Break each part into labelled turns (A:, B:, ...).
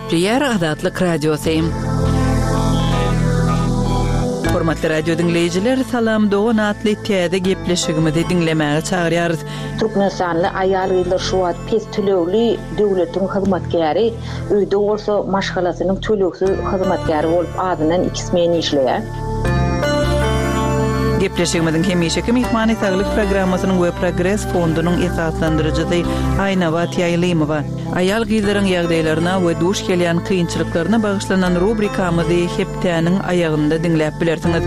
A: Gepleýär Azatlyk Radiosy. Hormatly radio diňleýjiler, Salam dogan atly täze gepleşigimizi diňlemäge çagyrýarys.
B: Türkmenistanly aýal-gyzlar şu wagt pes tölegli döwletiň hyzmatkäri, öýde bolsa maşgalasynyň tölegsiz hyzmatkäri bolup azyndan iki smen işleýär.
A: Gepleşigimiziň hemişeki myhmany Saglyk programmasynyň we Progres fondunyň esaslandyryjysy Aýnabat Ýaýlymowa. Aýal-gyzlaryň ýagdaýlaryna we duş gelýän kynçylyklaryna bagyşlanan rubrikamyzy hepdäniň aýagynda diňläp bilersiňiz.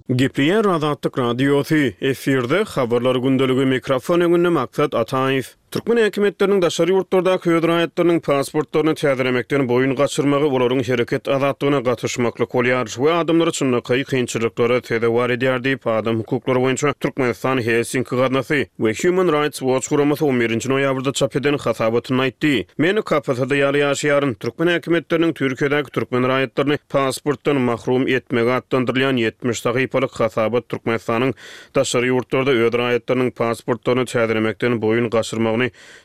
C: Gepleýär Azatlyk Radiosy, efirde Habarlar gündeligi, mikrofon öňünde Maksat Ataýew. Türkmen häkimiýetleriniň daşary ýurtlardaky öz raýatlarynyň pasportlaryny täzelemekden boýun gaçyrmagy olaryň hereket azatlygyna gatyşmaklyk bolýar we adamlary çynlakaý kynçylyklara sezewar edýär diýip, adam hukuklary boýunça Türkmenistan Helsinki gaznasy we Human Rights Watch guramasy on birinji noýabrda çap eden hasabatynda aýtdy. Men kapasada ýaly ýaşaýaryn. Türkmen häkimiýetleriniň Türkiýedäki türkmen raýatlaryny pasportdan mahrum etmegi atlandyrylýan 70 sahypalyk hasabat Türkmenistanyň Daşary ýurtlarda öz raýatlarynyň pasportlaryny täzelemekden boýun gaçyrmagyny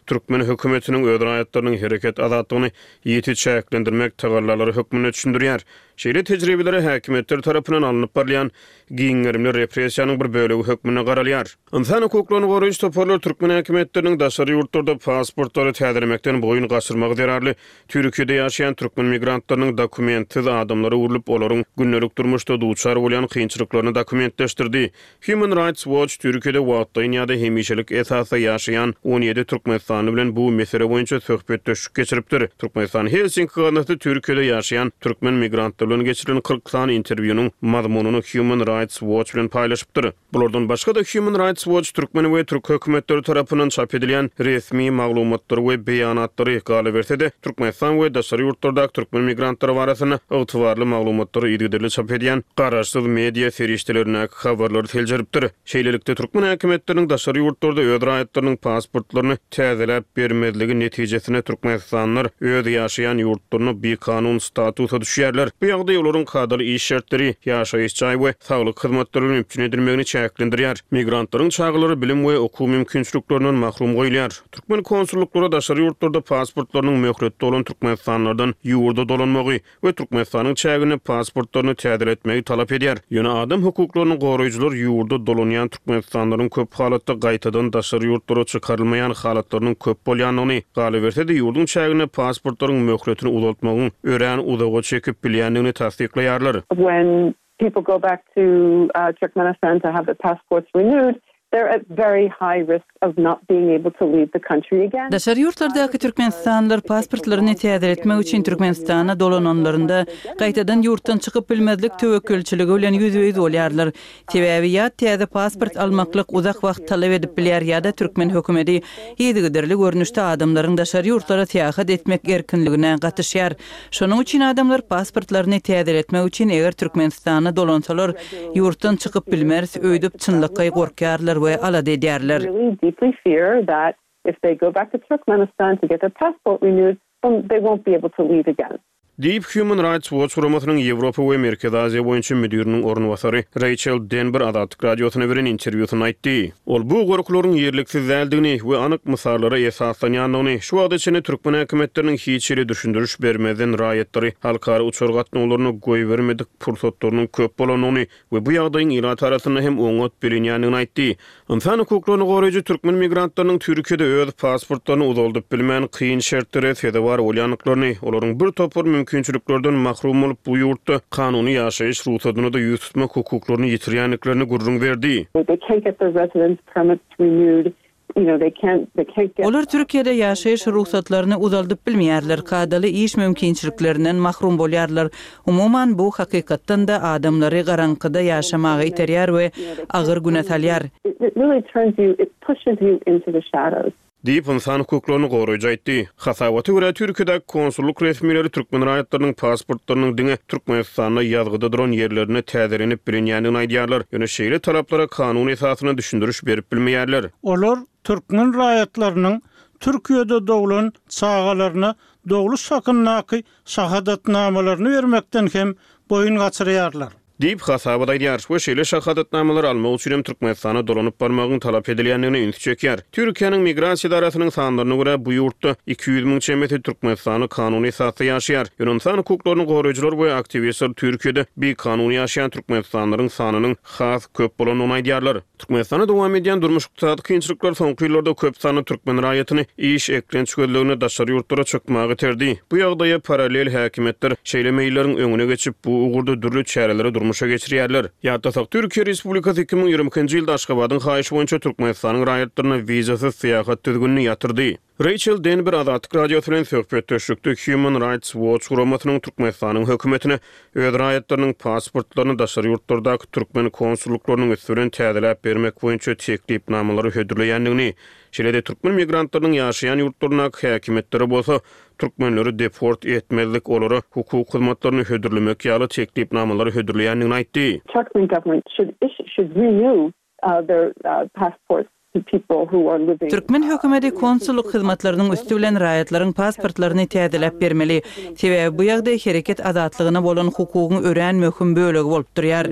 C: türkmen hökümetiniň öz raýatlarynyň hereket azatlygyny ýiti çäklendirmek tagallalary hökmünde düşündirýär. Şeýle tejribelere häkimiýetler tarapyndan alnyp barylýan giň gerimli repressiýanyň bir bölegi hökmünde garalýar. Ynsan hukuklaryny goraýjy toparlar türkmen häkimiýetleriniň daşary ýurtlarda pasportlary täzelemekden boýun gaçyrmagy zerarly Türkiýede ýaşaýan türkmen migrantlarynyň dokumentsiz adamlara öwrülip, olaryň gündelik durmuşda duçar bolýan kynçylyklaryny dokumentleşdirdi. Human Rights Watch Türkiýede wagtlaýyn ýa-da hemişelik esasda ýaşaýan 17 türkmenistanly bilen bu mesele boýunça söhbetdeşlik geçiripdir. Türkmenistan Helsinki gaznasy Türkiýede ýaşaýan türkmen migrantlary bilen geçirilen 40 sany interwýunyň mazmunyny Human Rights Watch bilen paýlaşypdyr. Bulardan başga-da Human Rights Watch türkmen we türk hökümetleri tarapyndan çap edilýän resmi maglumatlary we beýanatlary, galyberse-de, Türkmenistan we daşary ýurtlardaky türkmen migrantlary barasynda ygtybarly maglumatlary yzygiderli çap edýän garaşsyz media serişdelerindäki habarlary seljeripdir. Şeýlelikde, türkmen häkimiýetleriniň daşary ýurtlarda öz raýatlarynyň pasportlaryny täzeläp bermezligi netijesinde türkmenistanlylar öz ýaşaýan ýurtlarynda bikanun statusa düşýärler. Bu ýagdaý olaryň kadaly iş şertleri, ýaşaýyş jaý we saglyk hyzmatlary bilen üpjün edilmegini çäklendirýär. Migrantlaryň çagalary bilim we okuw mümkinçiliklerinden mahrum goýulýar. Türkmen konsullyklary daşary ýurtlarda pasportlarynyň möhleti dolan türkmenistanlylardan ýurda dolanmagy we Türkmenistanyň çäginde pasportlaryny täzeletmegi talap edýär. Ýöne adam hukuklaryny goraýjylar ýurda dolanýan türkmenistanlylaryň köp halatda gaýtadan daşary ýurtlara çykarylmaýan halatlarynyň köp bolýandygyny, galyberse-de ýurduň çäginde pasportlaryň möhletini uzaltmagyň örän uzaga çekip bilýändigini tassyklaýarlar.
D: When people go back to Turkmenistan to have their passports renewed, they're at very high risk of not being able to leave the country again.
A: Daşary ýurtlardaky türkmenistanlylar pasportlaryny täzeletmek üçin Türkmenistana dolananlarynda, gaýtadan ýurtdan çykyp bilmezlik töwekgelçiligi bilen ýüzbe-ýüz bolýarlar. Sebäbi ýa täze pasport almaklyk uzak wagt talap edip bilýär ýa-da türkmen hökümeti yzygiderli görnüşde adamlaryň daşary ýurtlara syýahat etmek erkinligine gatyşýar. Şonuň üçin adamlar pasportlaryny täzeletmek üçin eger Türkmenistana dolansalar, ýurtdan çykyp bilmeris öýdüp çynlakaý gorkýarlar we alada edýärler.
C: Diýip, Human Rights Watch guramasynyň Ýewropa we Merkezi Aziýa boýunça müdiriniň orunbasary Reýçel Denber Azatlyk Radiosyna beren interwýusynda aýtdy. Ol bu gorkularyň ýerliksiz däldigini we anyk mysallara esaslanýandygyny, şu wagta çenli türkmen häkimiýetleriniň hiç hili düşündiriş bermezden raýatlary halkara uçar gatnawlaryna goýbermedik pursatlarynyň köp bolandygyny we bu ýagdaýyň ilat arasynda hem oňat bilinýändigini aýtdy. Ynsan hukuklaryny goraýjy türkmen migrantlarynyň Türkiýede öz pasportlaryny uzaldyp bilmän, kyn şertlere sezewar bolýandyklaryny, olaryň bir topar mümkinçiliklerden mahrum bolup, bu ýurtda kanuny ýaşaýyş rugsadyna-da ýüz tutmak hukuklaryny ýitirýändiklerini gürrüň berdi.
D: They can't get their residence permits renewed
A: Olar Türkiýede ýaşaýyş rugsatlaryny uzaldyp bilmeýärler, kadaly iş mümkinçiliklerinden mahrum bolýarlar. Umuman, bu hakykatdan-da adamlary garaňkyda ýaşamaga iterýär we agyr güne salýar.
C: Diýip, ynsan hukuklaryny goraýjy aýtdy. Hasabata görä, Türkiýedäki konsullyk resmileri türkmen raýatlarynyň pasportlarynyň diňe Türkmenistanda ýazgyda duran ýerlerinde täzelenip bilinýändigini aýdýarlar. Ýöne şeýle talaplara kanun esasynda düşündiriş berip bilmeýärler.
E: Olar türkmen raýatlarynyň Türkiýede doglan çagalaryna dogluş hakyndaky şahadatnamalaryny bermekden hem boýun gaçyrýarlar.
C: Diýip, hasabat aýdýar we şeýle şahadatnamalary almak üçin hem Türkmenistana dolanyp barmagyň talap edilýändigine ünsi çekýär. Türkiýäniň Migrasiýa edarasynyň sanlaryna görä, bu ýurtda 200 müň çemesi türkmenistanly kanuny esasda ýaşaýar. Ýöne ynsan hukuklaryny goraýjylar we aktiwistler Türkiýede bikanun ýaşaýan türkmenistanlylaryň sanynyň has köp bolandygyny aýdýarlar. Türkmenistanda dowam edýän durmuş-ykdysady kynçylyklar soňky ýyllarda köp sanly türkmen raýatyny iş, eklenç gözlegine daşary ýurtlara çykmaga iterdi. Bu ýagdaýa parallel häkimiýetler şeýle meýilleriň öňüne geçip, bu ugurda dürli çäreleri durmuşa geçirýärler. Ýatlasak, Türkiýe Respublikasy 2022-nji ýylda Aşgabadyň haýyşy boýunça Türkmenistanyň raýatlaryna wizasyz syýahat düzgünini ýatyrdy. Reýçel Denber Azatlyk Radiosy bilen söhbetdeşlikde Human Rights Watch guramasynyň Türkmenistanyň hökümetine öz raýatlarynyň pasportlaryny daşary ýurtlardaky türkmen konsullyklarynyň üsti bilen täzeläp bermek boýunça teklipnamalary hödürleýändigini, şeýle-de türkmen migrantlarynyň ýaşaýan ýurtlaryndaky häkimiýetlere bolsa türkmenleri deport etmezlik, olara hukuk hyzmatlaryny hödürlemek ýaly teklipnamalary hödürleýändigini aýtdy.
D: Turkmen government should issue should renew
A: Türkmen hökümeti konsullyk hyzmatlarynyň üsti bilen raýatlaryň pasportlaryny täzeläp bermeli. Sebäbi bu ýagdaý hereket azatlygyna bolan hukugyň örän möhüm bölegi bolup durýar.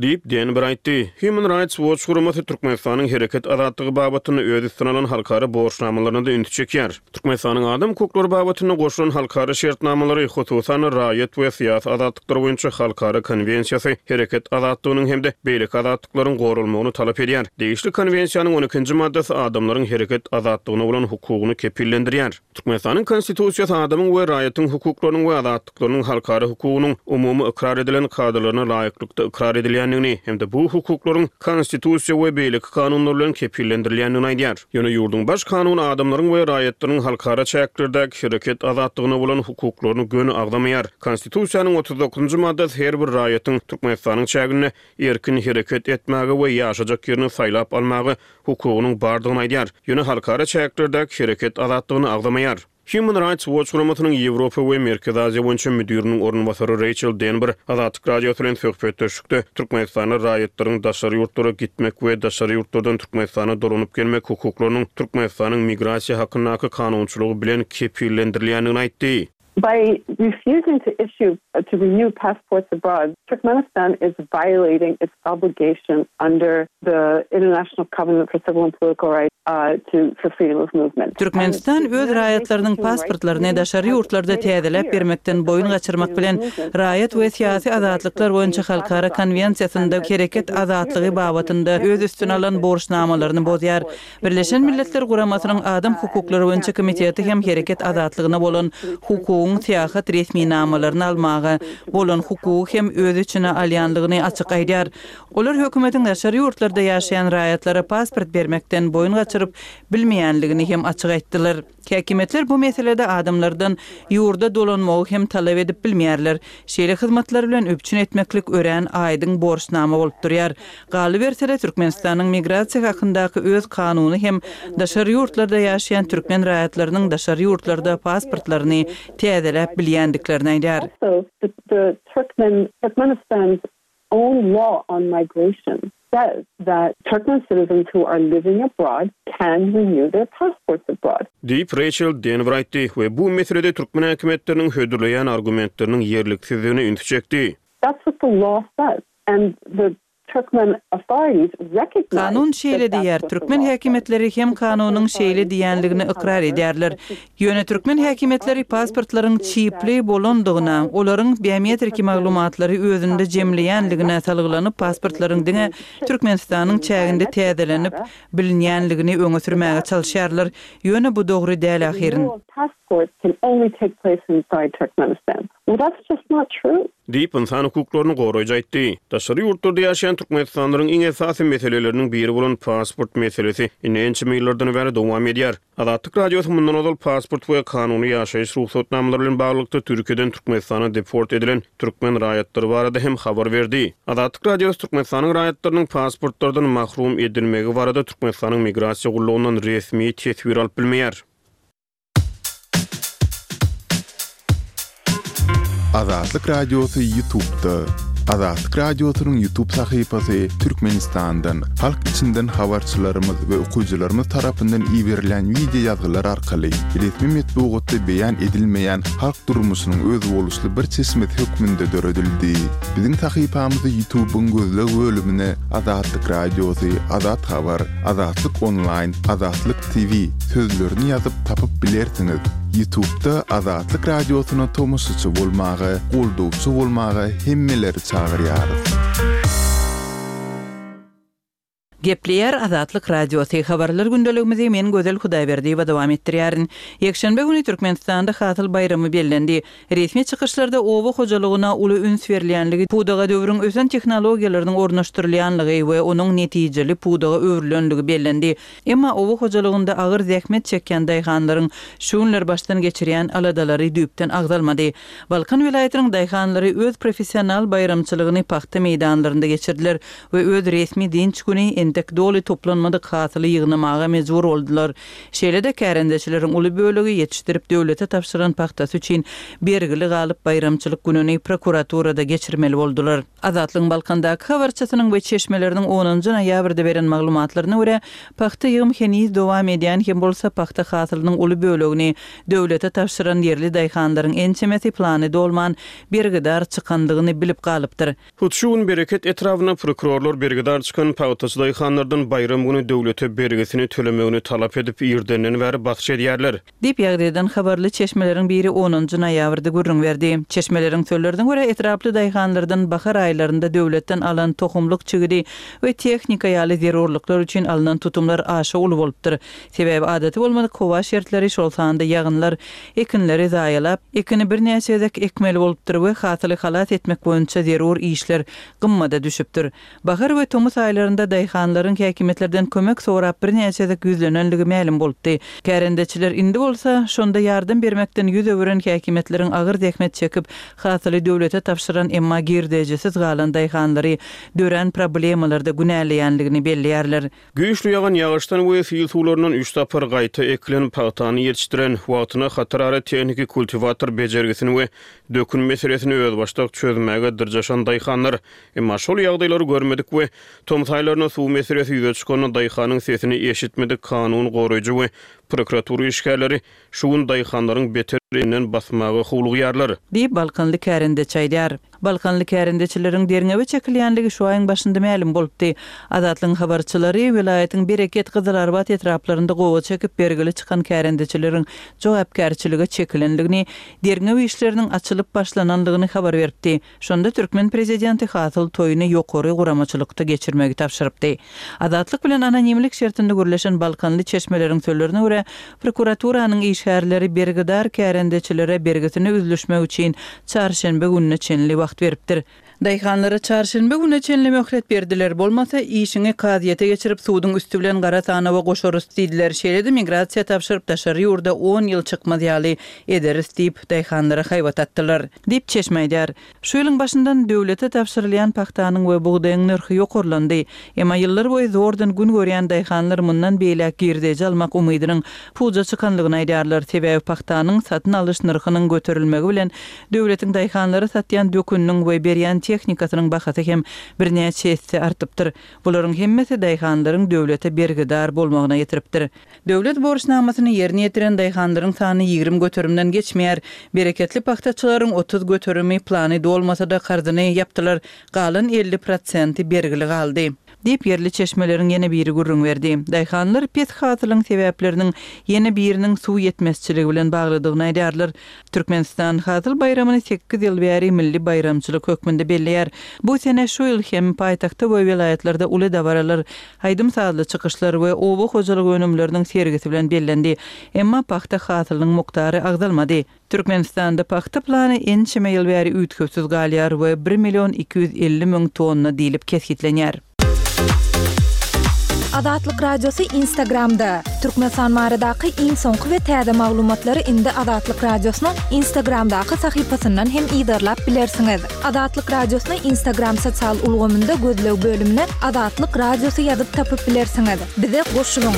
C: Diýip, Denber aýtdy. Human Rights Watch guramasy Türkmenistanyň hereket azatlygy babatynda öz üstüne alan halkara borçnamalaryna-da ünsi çekýär. Türkmenistanyň adam hukuklary babatynda goşulan halkara şertnamalary, hususan-da, raýat we syýasy azatlyklar boýunça halkara konwensiýasy hereket azatlygynyň hem-de beýleki azatlyklaryň goralmagyny talap edýär. Degişli konwensiýanyň on ikinji maddasy adamlaryň hereket azatlygyna bolan hukugyny kepillendirýär. Türkmenistanyň Konstitusiýasy adamyň we raýatyň hukuklarynyň we azatlyklarynyň halkara hukugynyň umumy ykrar edilen kadalaryna laýyklykda ykrar edilýändigini hem-de bu hukuklaryň Konstitusiýa we beýleki kanunlar bilen kepillendirilýändigini aýdýar. Ýöne ýurduň Baş kanuny adamlaryň we raýatlaryň halkara çäklerdäki hereket azatlygyna bolan hukuklaryny göni agzamaýar. Konstitusiýanyň 39-njy maddasy her bir raýatyň Türkmenistanyň çäginde erkin hereket etmäge we ýaşajak ýerini saýlap almaga hukugynyň bardygyny aýdýar, ýöne halkara çäklerdäki hereket azatlygyny agzamaýar. Human Rights Watch guramasynyň Ýewropa we Merkezi Aziýa boýunça müdiriniň orunbasary Reýçel Denber Azatlyk Radiosy bilen söhbetdeşlikde Türkmenistanda raýatlaryň daşary ýurtlara gitmek we daşary ýurtlardan Türkmenistana dolanyp gelmek hukuklarynyň Türkmenistanyň migrasiýa hakyndaky kanunçylygy bilen kepillendirilýändigini aýtdy.
D: By refusing to issue to renew passports abroad, Turkmenistan is violating its obligation under the International Covenant for Civil and Political Rights to for freedom of movement.
A: Türkmenistan öz raýatlarynyň pasportlaryny daşary ýurtlarda täzeläp bermekden boýun gaçyrmak bilen, Raýat we syýasy azatlyklar boýunça halkara konwensiýasynda hereket azatlygy babatynda öz üstüne alan borçnamalaryny bozýar. Birleşen Milletler Guramasynyň Adam hukuklary boýunça komiteti hem hereket azatlygyna bolan hukugyň syýahat resminamalaryny almaga bolan hukugy hem öz içine alýandygyny açyk aýdýar. Olar hökümetiň daşary ýurtlarda ýaşaýan raýatlara pasport bermekden boýun gaçyryp bilmeýänligini hem açyk aýtdylar. Häkimiýetler bu meselede adamlardan ýurda dolanmagy hem talap edip bilmeýärler. Şeýle hyzmatlar bilen üpjün etmeklik örän aýdyň borçnama bolup durýar. Galyberse-de, Türkmenistanyň migrasiýa hakyndaky öz kanuny hem daşary ýurtlarda ýaşaýan türkmen raýatlarynyň daşary ýurtlarda pasportlaryny täzeläp bilýändiklerini aýdýar.
D: Own law on migration says that Turkmen citizens who are living abroad can renew their passports abroad.
C: Diýip, Reýçel Denwer aýtdy we bu meselede türkmen häkimiýetleriniň hödürleýän argumentleriniň ýerliksizdigine ünsi çekdi.
D: That's what the law says and the Turkmen authorities recognize
A: Kanun
D: that
A: şeýle
D: that's
A: diýýär,
D: what the
A: türkmen
D: law says.
A: häkimiýetleri hem kanunyň şeýle diýýänligini ykrar edýärler. Ýöne türkmen häkimiýetleri pasportlaryň çipli bolandygyna, olaryň biometriki maglumatlary özünde jemleýänligine salgylanyp, pasportlaryň diňe Türkmenistanyň çäginde täzelenip bilinýänligini öňe sürmäge çalyşýarlar. Ýöne bu dogry däl ahyryn.
C: Diýip, ynsan hukuklaryny goraýjy aýtdy. Daşary ýurtlarda ýaşaýan türkmenistanlylaryň iň esasy meseleleriniň biri bolan pasport meselesi indi ençeme ýyllardan bäri dowam edýär. Azatlyk Radiosy mundan ozal pasport we kanuny ýaşaýyş rugsatnamalary bilen baglylykda Türkiýeden Türkmenistana deport edilen türkmen raýatlary barada hem habar berdi. Azatlyk Radiosy Türkmenistanyň raýatlarynyň pasportlardan mahrum edilmegi barada Türkmenistanyň Migrasiýa gullugyndan resmi teswir alyp bilmeýär.
F: Azatlyk Radiosy Ýutubda. Azatlyk Radiosynyň YouTube sahypasy Türkmenistandan, halk içinden habarçylarymyz we okyjylarymyz tarapyndan iberilýän wideo ýazgylar arkaly resmi metbugatda beýan edilmeýän halk durmuşynyň özboluşly bir çeşmesi hökmünde döredildi. Biziň sahypamyzy YouTube-yň gözleg bölümine Azatlyk Radiosy, Azat Habar, Azatlyk Onlaýn, Azatlyk TV sözlerini ýazyp tapyp bilersiňiz. Ýutubda Azatlyk Radiosyna tomaşaçy bolmaga, goldawçy bolmaga hemmeleri çagyrýarys.
A: Gepleýär Azatlyk Radiosy, Habarlar gündeligimizi men Gözel Hudaýberdiýewa dowam etdirýärin. Ýekşenbe güni Türkmenistanda Hasyl baýramy bellendi. Resmi çykyşlarda oba hojalygyna uly üns berilýänligi, pudaga döwrüň ösen tehnologiýalarynyň ornaşdyrylýanlygy we onuň netijeli pudaga öwrülenligi bellendi. Emma oba hojalygynda agyr zähmet çekýän daýhanlaryň şu günler başdan geçirýän aladalary düýpden agzalmady. Balkan welaýatynyň daýhanlary öz professional baýramçylygyny pagta meýdanlarynda geçirdiler we öz resmi dynç güni entek doly toplanmadyk hasyly ýygnamaga mejbur boldular. Şeýle-de kärendeçileriň uly bölegi ýetişdirip döwlete tabşyran pagtasy üçin bergili galyp baýramçylyk gününi prokuraturada geçirmeli boldular. Azatlygyň Balkandaky habarçysynyň we çeşmeleriniň onunjy noýabrda beren maglumatlaryna görä, pagta ýygym heniz dowam edýän hem bolsa, pagta hasylynyň uly bölegini döwlete tabşyran ýerli daýhanlaryň ençemesi plany dolman, bergidar çykandygyny bilip galypdyr.
C: Hut şu gün Bereket etrabynda prokurorlar bergidar çykan pagtaçy daýhanlardan baýram güni döwlete bergisini tölemegini talap edip, irdenden bäri basyş edýärler.
A: Diýip, ýagdaýdan habarly çeşmeleriň biri onunjy noýabrda gürrüň berdi. Çeşmeleriň sözlerine görä, etraply daýhanlardan bahar aýlarynda döwletden alan tohumlyk çigidi we tehnika ýaly zerurlyklar üçin alnan tutumlar aşa uly bolupdyr. Sebäbi adaty bolmadyk howa şertleri, şol sanda ýagynlar ekinleri zaýalap, ekini birnäçe gezek ekmeli bolupdyr we hasyly halas etmek boýunça zerur işler gymmada düşüpdir. Bahar we tomus aýlarynda daýhanlaryň häkimiýetlerden kömek sorap birnäçe gezek ýüzlenenligi mälim bolupdy. Kärendeçiler indi bolsa, şonda ýardam bermekden ýüz öwüren häkimiýetleriň agyr zähmet çekip, hasyly döwlete tabşyran, emma girdejisiz galan daýhanlary dörän problemalarda günäleýänligini belleýärler.
C: Güýçli ýagan ýagyşdan we sil suwlaryndan üç sapar gaýta ekilen pagtany ýetişdiren, wagtyna hatarara tehniki kultiwator bejergisini we dökün meselesini özbaşdak çözmäge dyrjaşan daýhanlar. Emma şol ýagdaýlary görmedik we tomus aýlarynda suw meselesi ýüze çykanda daýhanyň sesini eşitmedik kanun goraýjy we prokuratura işgärleri Şu gün daýhanlaryň beter elinden basmaga howlugýarlar.
A: Diýip, balkanly kärendeçi aýdýar. Balkanly kärendeçileriň derňewe çekilýänligi şu aýyň başynda mälim bolupdy. Azatlygyň habarçylary welaýatyň Bereket, Gyzylarbat etraplarynda gowaça ekip bergili çykan kärendeçileriň jogapkärçilige çekilenligini, derňew işleriniň açylyp başlananlygyny habar beripdi. Şonda türkmen prezidenti hasyl toýuny ýokary guramaçylykda geçirmegi tabşyrypdy. Azatlyk bilen anonimlik şertinde gürleşen balkanly çeşmeleriň sözlerine görä, prokuraturanyň işgärleri bergidar kärendeçilere bergisini üzlüşmek üçin çarşenbe gününe çenli wagt beripdir. Daýhanlara çarşenbe gününe çenli möhlet berdiler, bolmasa işiňi kazyýete geçirip suduň üsti bilen gara sanawa goşarys diýdiler, şeýle-de migrasiýa tabşyryp daşary ýurda on ýyl çykmaz ýaly ederis diýip, daýhanlara haýbat atdylar. Diýip, çeşme aýdýar. Şu ýylyň başyndan döwlete tabşyrylýan pagtanyň we bugdaýyň nyrhy ýokarlandy. Emma ýyllar boýy zordan gün görýän daýhanlar mundan beýläk girdeji almak umydynyň puja çykanlygyny aýdýarlar. Sebäbi pagtanyň satyn alyş nyrhynyň göterilmegi bilen döwletiň daýhanlara satýan döküniniň we berýän tehnikasynyň bahasy hem birnäçe esse artypdyr. Bularyň hemmesi daýhanlaryň döwlete bergidar bolmagyna getiripdir. Döwlet borçnamasyny ýerine ýetiren daýhanlaryň sany 20 göterimden geçmeýär. Bereketli pagtaçylaryň 30 göterimi plany dolmasa-da karzyny ýapdylar, galan 50 prosenti bergili galdy. Diýip, ýerli çeşmeleriň ýene biri gürrüň berdi. Daýhanlar pes hasylyň sebäpleriniň ýene biriniň suw ýetmezçiligi bilen baglydygyny aýdýarlar. Türkmenistan Hasyl baýramyny sekiz ýyl bäri milli baýramçylyk hökmünde belleýär. Bu sene şu ýyl hem paýtagtda we welaýatlarda uly dabaralar, aýdym-sazly çykyşlar we oba hojalyk önümleriniň sergisi bilen bellendi. Emma pagta hasylynyň mukdary agzalmady. Türkmenistanda pagta plany ençeme ýyl bäri üýtgewsiz galýar we bir million 250 müň tonna diýlip kesgitlenýär.
G: Azatlyk Radiosy Instagramda, Türkmenistan baradaky iň soňky we täze maglumatlary indi Azatlyk Radiosynyň Instagramdaky sahypasyndan hem yzarlap bilersiňiz. Azatlyk Radiosyny Instagram sosial ulgamynda gözleg bölümine Azatlyk Radiosy ýazyp tapyp bilersiňiz. Bize goşulyň!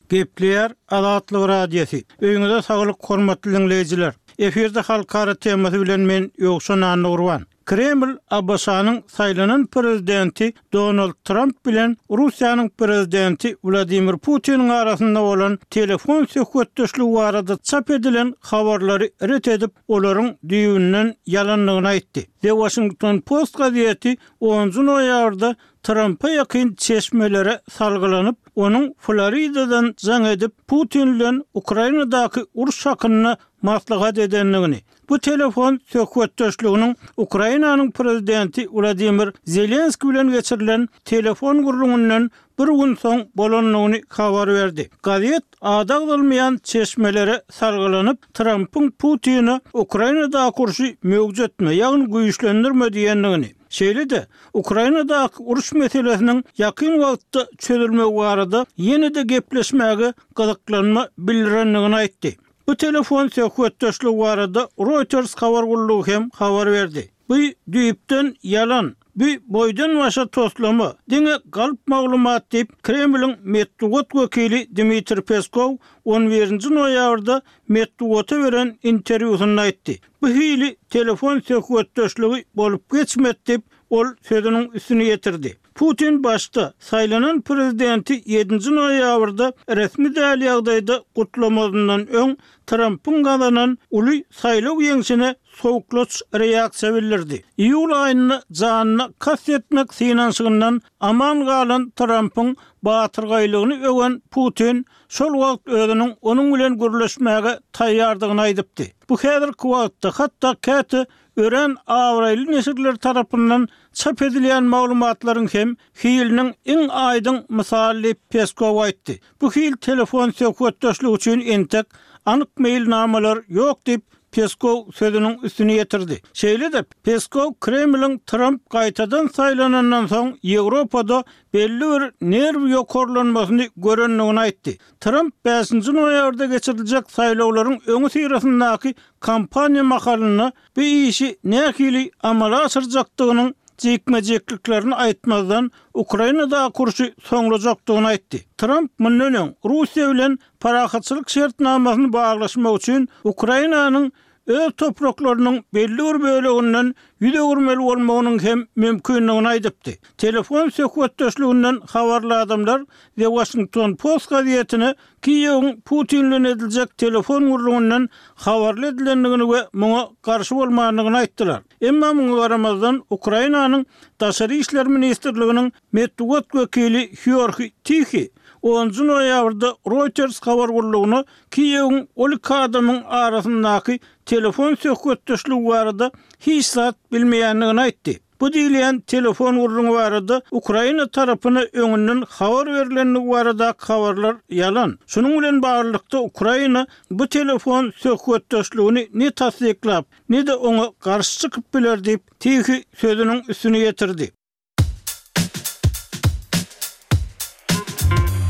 E: Gepleýär Azatlyk Radiosy. Öýüňize saglyk hormatly diňleýjiler. Efirde halkara temasy bilen men Ýowşan Annagurban. Kreml ABŞ-nyň saýlanan prezidenti Donald Tramp bilen Russiýanyň prezidenti Wladimir Putiniň arasynda bolan telefon söhbetdeşligi barada çap edilen habarlary ret edip, olaryň düýbünden ýalandygyny aýtdy. The Washington Post gazeti onunjy noýabrda Trampa ýakyn çeşmelere salgylanyp, onuň Floridadan jaň edip, Putin bilen Ukrainadaky uruş hakynda maslahat edendigini, bu telefon söhbetdeşliginiň Ukrainanyň prezidenti Wladimir Zelenskiý bilen geçirilen telefon gürrüňinden bir gün soň bolandygyny habar berdi. Gazet ady agzalmaýan çeşmelere salgylanyp, Trampyň Putine Ukrainadaky urşy möwjetme, ýagny güýçlendirme diýendigini, Şeýle-de, Ukrainadaky uruş meselesiniň ýakyn wagtda çözülmegi barada ýene-de gepleşmäge gyzyklanma bildirendigini aýtdy. Bu telefon söhbetdeşligi barada Reuters habar gullugy hem habar berdi. Bu düýpden ýalan, bu boýdan-başa toslama, diňe galp maglumat diýip, Kremliň metbugat wekili Dmitriý Peskow on birinji noýabrda metbugata beren interwýusynda aýtdy. Bu hili telefon söhbetdeşligi bolup geçmedi diýip, ol sözüniň üstüni ýetirdi. Putin başda, saýlanan prezidenti ýedinji noýabrda resmi däl ýagdaýda gutlamazyndan öň, Trampyň gazanan uly saýlaw ýeňşine sowuklaç reaksiýa bildirdi. Iýul aýynda janyna kast etmek synanyşygyndan aman galan Trampyň batyrgaýlygyny öwen Putin şol wagt özüniň onuň bilen gürleşmäge taýýardygyny aýdypdy. Bu häzirki wagtda, hatda käte örän abraýly neşirler tarapyndan çap edilýän maglumatlaryň hem hiliniň iň aýdyň mysaly diýip, Peskow aýtdy. Bu hil telefon söhbetdeşligi üçin entek anyk meýilnamalar ýok diýip, Peskow sözüniň üstüni ýetirdi. Şeýle-de, Peskow Kremliň Tramp gaýtadan saýlanandan soň Ýewropada belli bir nerw ýokarlanmasyny görendigini aýtdy. Tramp bäşinji noýabrda geçiriljek saýlawlaryň öňüsyrasyndaky kampaniýa mahalynda bu işi nähili amala aşyrjakdygynyň jikme-jikliklerini aýtmazdan, Ukrainadaky urşy soňlajakdygyny aýtdy. Tramp mundan öň Russiýa bilen parahatçylyk şertnamasyny baglaşmak üçin Ukrainanyň öz topraklarynyň belli bir böleginden ýüz öwürmeli bolmagynyň hem mümkindigini aýdypdy. Telefon söhbetdeşliginden habarly adamlar The Washington Post gazetine Kiýewiň Putin bilen ediljek telefon gürrüňinden habarly edilendigini we muňa garşy bolmandygyny aýtdylar. Emma muňa garamazdan, Ukrainanyň Daşary işler ministrliginiň metbugat wekili Hýorhi Tihi onunjy noýabrda Reuters habar gullugyna Kiýewiň ol iki adamyň arasyndaky telefon söhbetdeşligi barada hiç zat bilmeýändigini aýtdy. Bu diýilýän telefon gürrüňi barada Ukraina tarapyna öňünden habar berlendigi baradaky habarlar ýalan. Şunuň bilen baglylykda Ukraina bu telefon söhbetdeşligini ne tassyklap, ne-de oňa garşy çykyp biler diýip, Tihi sözüniň üstüni ýetirdi.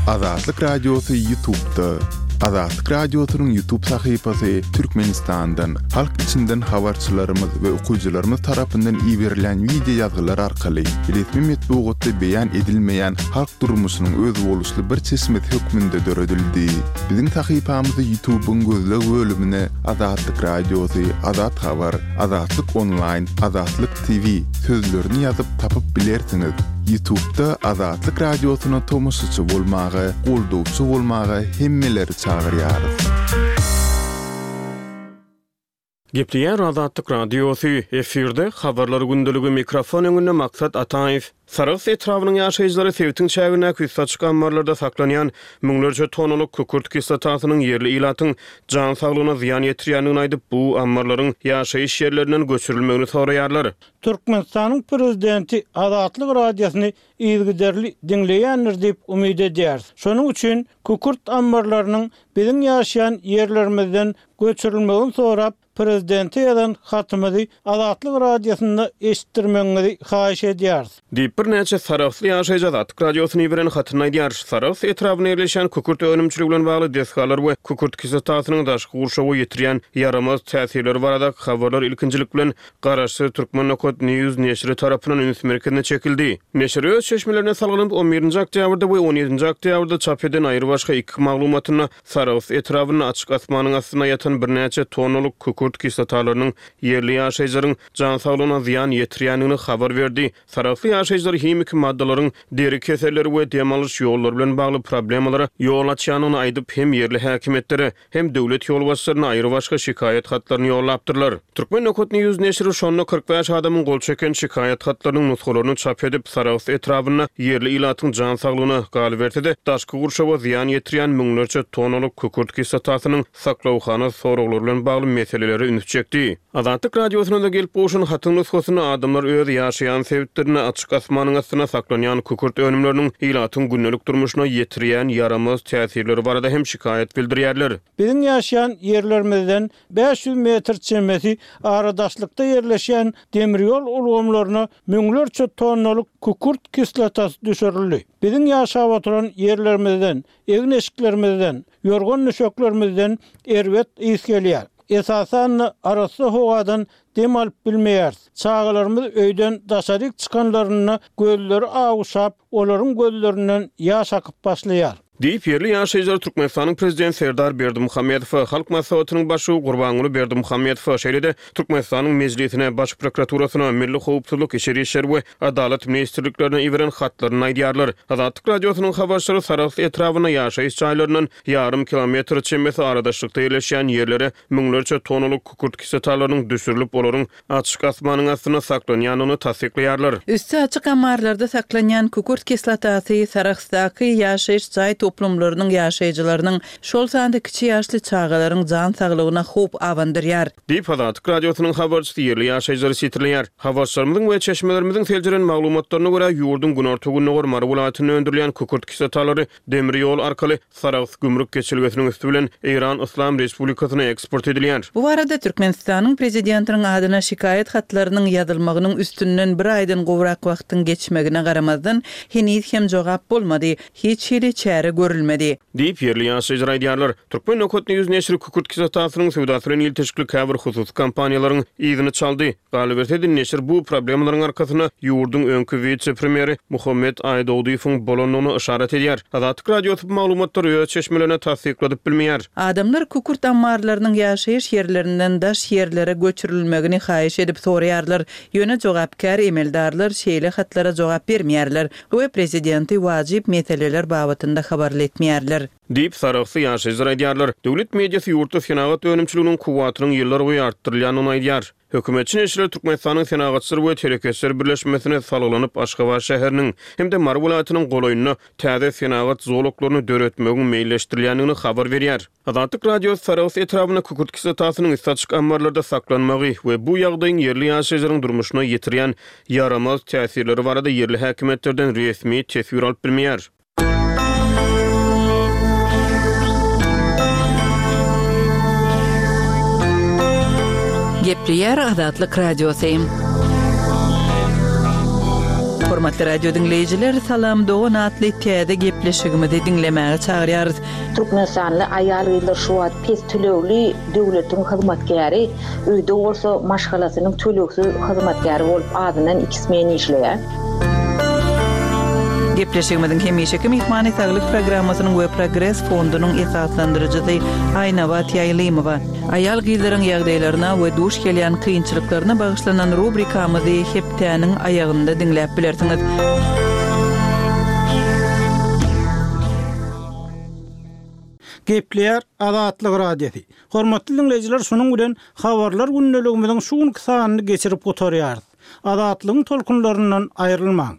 F: Azatlyk Radiosy Ýutubda. Azatlyk Radiosynyň Ýutub sahypasy Türkmenistandan, halk içinden habarçylarymyz we okyjylarymyz tarapyndan iberilýän wideo ýazgylar arkaly resmi metbugatda beýan edilmeýän halk durmuşynyň özboluşly bir çeşmesi hökmünde döredildi. Biziň sahypamyzy Ýutubyň gözleg bölümine Azatlyk Radiosy, Azat Habar, Azatlyk Onlaýn, Azatlyk TV sözlerini ýazyp tapyp bilersiňiz. Ýutubda Azatlyk Radiosyna tomaşaçy bolmaga, goldawçy bolmaga hemmeleri çagyrýarys.
C: Gepleýär Azatlyk Radiosy, efirde Habarlar gündeligi, mikrofon öňünde Maksat Ataýew. Sarahs etrabynyň ýaşaýjylary sebitiň çägindäki üsti açyk ammarlarda saklanýan müňlerçe tonnalyk kükürt kislotasynyň ýerli ilatyň jan saglygyna zyýan ýetirýändigini aýdyp, bu ammarlaryň ýaşaýyş ýerlerinden göçürilmegini soraýarlar.
E: Türkmenistanyň Prezidenti Azatlyk Radiosyny yzygiderli diňleýändir diýip umyt edýäris. Şonuň üçin kükürt ammarlarynyň biziň ýaşaýan ýerlerimizden göçürilmegini sorap, prezidente ýazan hatymyzy Azatlyk Radiosynda eşitdirmegiňizi haýyş edýäris.
C: Diýip, birnäçe sarahsly ýaşaýjy Azatlyk Radiosyna iberen hatynda aýdýar. Sarahs etrabynda ýerleşýän kükürt önümçiligi bilen bagly desgalar we kükürt kislotasynyň daşky gurşawa ýetirýän ýaramaz täsirleri baradaky habarlar ilkinjilik bilen Garaşsyz Türkmen Nokat News neşiri tarapyndan üns merkezine çekildi. Neşir öz çeşmelerine salgylanyp, on birinji oktýabrda we on ýedinji oktýabrda çap eden aýrybaşga iki maglumatynda Sarahs etrabynda açyk asmanyň astynda ýatan birnäçe tonnalyk kükürt kislotalarynyň ýerli ýaşaýjylaryň jan saglygyna zyýan ýetirýändigini habar berdi. Sarahsly ýaşaýjylar himiki maddalaryň deri keselleri we dem alyş ýollary bilen bagly problemalara ýol açýandygyny aýdyp, hem ýerli häkimiýetlere, hem döwlet ýolbaşçylaryna aýrybaşga şikaýat hatlaryny ýollapdyrlar. Turkmen nokat news neşiri şonda 45 adamyň gol çeken şikaýat hatlarynyň nusgalaryny çap edip, Sarahs etrabynda ýerli ilatyň jan saglygyna, galyberse-de, daşky gurşawa zyýan ýetirýän müňlerçe tonnalyk kükürt kislotasynyň saklawhana soraglary bilen bagly meselelere üns çekdi. Azatlyk Radiosyna-da gelip gowşan hatyň nusgasynda adamlar öz ýaşaýan sebitlerinde açyk asmanyň astynda saklanýan kükürt önümleriniň ilatyň gündelik durmuşyna ýetirýän ýaramaz täsirleri barada hem şikaýat bildirýärler.
E: Biziň ýaşaýan ýerlerimizden 500 metr çemesi aradaşlykda ýerleşýän demir ýol ulgamlaryna müňlerçe tonnalyk kükürt kislotasy düşürildi. Biziň ýaşap oturan ýerlerimizden, egin-eşiklerimizden, ýorgan-düşeklerimizden erbet ys gelýär. Esasan-da, arassa howadan dem alyp bilmeýäris. Çagalarymyz öýden daşaryk çykanlarynda gözleri awuşap, olaryň gözlerinden ýaş akyp başlaýar.
C: Diýip, ýerli ýaşaýjylar Türkmenistanyň Prezidenti Serdar Berdimuhamedowa, Halk Maslahatynyň Başlygy Gurbanguly Berdimuhamedowa, şeýle-de Türkmenistanyň Mejlisine, Baş prokuraturasyna, Milli howpsuzlyk, Içeri işler we Adalat ministrliklerine iberen hatlarynda aýdýarlar. Azatlyk Radiosynyň habarçylary Sarahs etrabynda ýaşaýyş jaýlaryndan ýarym kilometr çemesi aradaşlykda ýerleşýän ýerlere müňlerçe tonnalyk kükürt kislotalarynyň düşürilip, olaryň açyk asmanyň astynda saklanýandygyny tassyklaýarlar.
A: Üsti açyk ammarlarda saklanýan kükürt kislotasy Sarahsdaky ýaşaýyş jaý toplumlarynyň ýaşaýjylarynyň, şol sanda kiçi ýaşly çagalaryň jan saglygyna howp abandyrýar.
C: Diýip, Azatlyk Radiosynyň habarçysy ýerli ýaşaýjylary sitirleýär. Habarçylarymyzyň we çeşmelerimiziň seljeren maglumatlaryna görä, ýurduň günorta-gündogar Mary welaýatynda öndürilýän kükürt kislotalary demir ýol arkaly Sarahs gümrük geçelgesiniň üsti bilen Eýran Yslam Respublikasyna eksport edilýär.
A: Bu barada Türkmenistanyň Prezidentiniň adyna şikaýat hatlarynyň ýazylmagynyň üstünden bir aýdan gowrak wagtyň geçmegine garamazdan, heniz hem jogap bolmady, hiç hili çäre görülmedi.
C: Diýip, ýerli ýaşaýjylar aýdýarlar. Turkmen nokat news neşiri kükürt kislotasynyň söwdasy bilen ilteşikli käbir hususy kompaniýalaryň yzyny çaldy. Galyberse-de, neşir bu problemalaryň arkasynda ýurduň öňki wise-premýeri Muhammet Aýdogdyýewiň bolandygyna yşarat edýär. Azatlyk Radiosy bu maglumatlary öz çeşmelerinde tassykladyp bilmeýär.
A: Adamlar kükürt ammarlarynyň ýaşaýyş ýerlerinden daş ýerlere göçürilmegini haýyş edip soraýarlar, ýöne jogapkär emeldarlar şeýle hatlara jogap bermeýärler we prezidenti wajyp meseleler babatynda habarly etmeýärler.
C: Diýip, sarahsly ýaşaýjylar aýdýarlar. Döwlet mediasy ýurtda senagat önümçiliginiň kuwwatynyň ýyllarboýy artdyrylýandygyny aýdýar. Hökümetçi neşirler Türkmenistanyň Senagatçylar we telekeçiler birleşmesine salgylanyp, Aşgabat şäheriniň hem-de Mary welaýatynyň golaýynda täze senagat zolaklaryny döretmegiň meýilleşdirilýändigini habar berýär. Azatlyk Radiosy Sarahs etrabynda kükürt kislotasynyň üsti açyk ammarlarda saklanmagy we bu ýagdaýyň ýerli ýaşaýjylaryň durmuşyna ýetirýän ýaramaz täsirleri barada ýerli häkimiýetlerden resmi teswir alyp bilmeýär.
A: Gepleýär Azatlyk Radiosy. Hormatly radio diňleýjiler, Salam dogan atly täze gepleşigimizi diňlemäge çagyrýarys.
B: Türkmenistanly aýal-gyzlar şu wagt pes tölegli döwletiň hyzmatkäri, öýde bolsa maşgalasynyň tölegsiz hyzmatkäri bolup azyndan iki smen işleýär.
A: Gepleşigimiziň hemişeki myhmany Saglyk programmasynyň we Progres fondunyň esaslandyryjysy Aýnabat Ýaýlymowa. Aýal-gyzlaryň ýagdaýlaryna we duş gelýän kynçylyklaryna bagyşlanan rubrikamyzy hepdäniň aýagynda diňläp bilersiňiz.
E: Gepleýär Azatlyk Radiosy. Hormatly diňleýjiler şunuň bilen Habarlar gündeligimiziň şu günki sanyny geçirip gutarýarys. Azatlygyň tolkunlaryndan aýrylmaň!